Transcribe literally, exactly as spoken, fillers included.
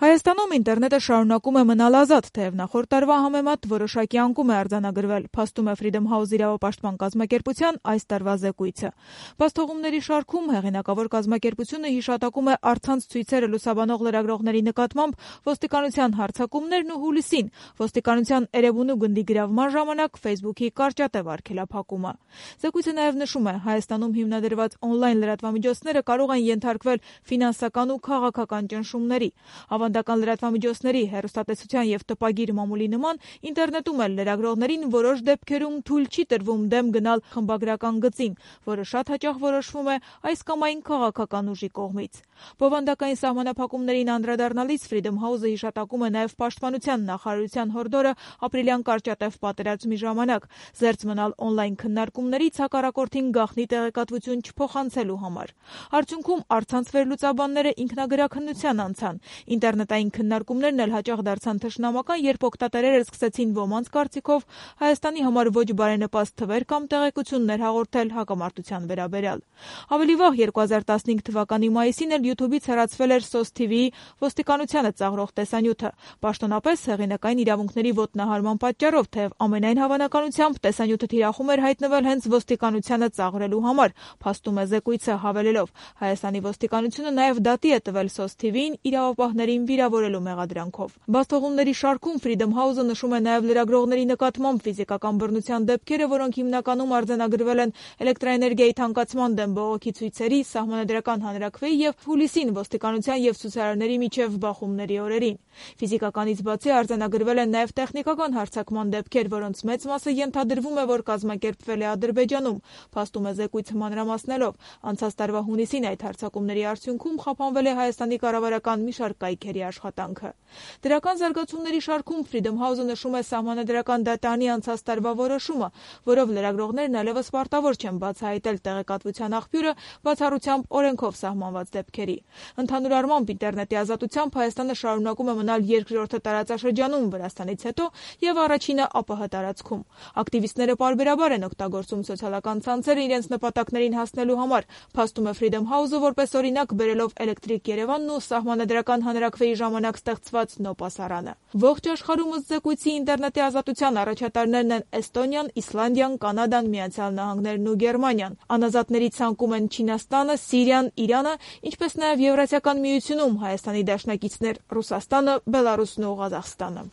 Հայաստանում ինտերնետը շարունակում է մնալ ազատ, թեև նախորդ տարվա համեմատ որոշակի անկում է արձանագրվել, փաստում է Freedom House իրավապաշտպան կազմակերպության այս տարվա զեկույցը։ Բացթողումների շարքում հեղինակավոր կազմակերպությունը հիշատակում է առցանց ցույցերը լուսաբանող լրագրողների նկատմամբ ոստիկանության հարձակումներն ու հուլիսին ոստիկանության Էրեբունու գնդի գրավման ժամանակ Facebook-ի կարճատև արգելափակումը։ Զեկույցը նաև նշում է, Հայաստանում հիմնադրված օնլայն լրատվամիջոցները կարող են ենթարկվել ֆինանսական ու քաղաքական ճնշումների։ Ավանդական լրատվամիջոցների, հեռուստատեսության և տպագիր մամուլի նման ինտերնետում էլ լրագրողներին որոշ դեպքերում թույլ չի տրվում դեմ գնալ խմբագրական գծին, որը շատ հաճախ որոշվում է այս կամ այն քաղաքական ուժի կողմից։ Բովանդակային սահմանափակումներին անդրադառնալիս Freedom House-ը հիշատակում է նաև Պաշտպանության նախարարության հորդորը ապրիլյան կարճատև պատերազմի ժամանակ զերծ մնալ օնլայն քննարկումներից հակառակորդին գաղտնի տեղեկատվություն չփոխանցելու համար։ Արդյունքում առցանց վերլուծաբանները ինքնագրաքննության անցան։ Ինտերնետային քննարկումներն էլ հաճախ դարձան թշնամական, երբ օգտատերերը սկսեցին ոմանց կարծիքով Հայաստանի համար ոչ բարենպաստ թվեր կամ տեղեկություններ հաղորդել հակամարտության վերաբերյալ։ Ավելի վաղ երկու հազար տասնհինգ թվականի մայիսին էլ YouTube-ից հեռացվել էր Սոս թի վիի ոստիկանությանը ծաղրող տեսանյութը, պաշտոնապես հեղինակային իրավունքների ոտնահարման պատճառով, թեև ամենայն հավանականությամբ տեսանյութը թիրախում էր հայտնվել հենց ոստիկանությանը ծաղրելու համար, փաստում է զեկույցը հավելելով. Հայաստանի ոստիկանությունը նաև դատի է տվել Սոս թի վիին իրավապահներին վիրավորելու մեղադրանքով։ Բացթողումների շարքում Freedom House-ը նշում է նաև լրագրողների նկատմամբ ֆիզիկական բռնության դեպքերը, որոնք հիմնականում արձանագրվել են էլեկտրաէներգիայի թանկացման դեմ բողոքի ցույցերի, սահմանադրական հանրաքվեի և հուլիսին ոստիկանության և ցուցարարների միջև բախումների օրերին։ Ֆիզիկականից բացի արձանագրվել են նաև տեխնիկական հարձակման դեպքեր, որոնց մեծ մասը ենթադրվում է, որ կազմակերպվել է Ադրբեջանում, փաստում է զեկույցը մանրամասնելով։ Անցած տարվա հունիսին այդ հարձակումների արդյունքում խափանվել է Հայաստանի կառավարական մի շարք կայքերի աշխատանքը։ Դրական զարգացումների շարքում Freedom House-ը նշում է Սահմանադրական դատարանի անցած տարվա որոշումը, որով լրագրողներն այլևս պարտավոր չեն բացահայտել տեղեկատվության աղբյուրը բացառությամբ օրենքով սահմանված դեպքերի։ Ընդհանուր առմամբ ինտերնետի ազատությամբ Հայաստանը շարունակում է մնալ երկրորդը տարածաշրջանում Վրաստանից հետո և առաջինը ԱՊՀ տարածքում։ Ակտիվիստները պարբերաբար են օգտագործում սոցիալական ցանցերը իրենց նպատակներին հասնելու համար, փաստում է Freedom House-ը որպես օրինակ բերելով Էլեկտրիկ Երևանն ու Սահմանադրական հանրաքվեի ժամանակ ստեղծված նոպասարանը։ Ողջ աշխարհում ըստ զեկույցի ինտերնետի ազատության առաջատարներն են Էստոնիան, Իսլանդիան, Կանադան, Միացյալ Նահանգներն ու Գերմանիան։ Անազատների ցանկում են Չինաստանը, Սիրիան, Իրանը, ինչպես նաև Եվրասիական միությունում Հայաստանի դաշնակիցներ Ռուսաստանը, Բելարուսն ու Ղազախստանը։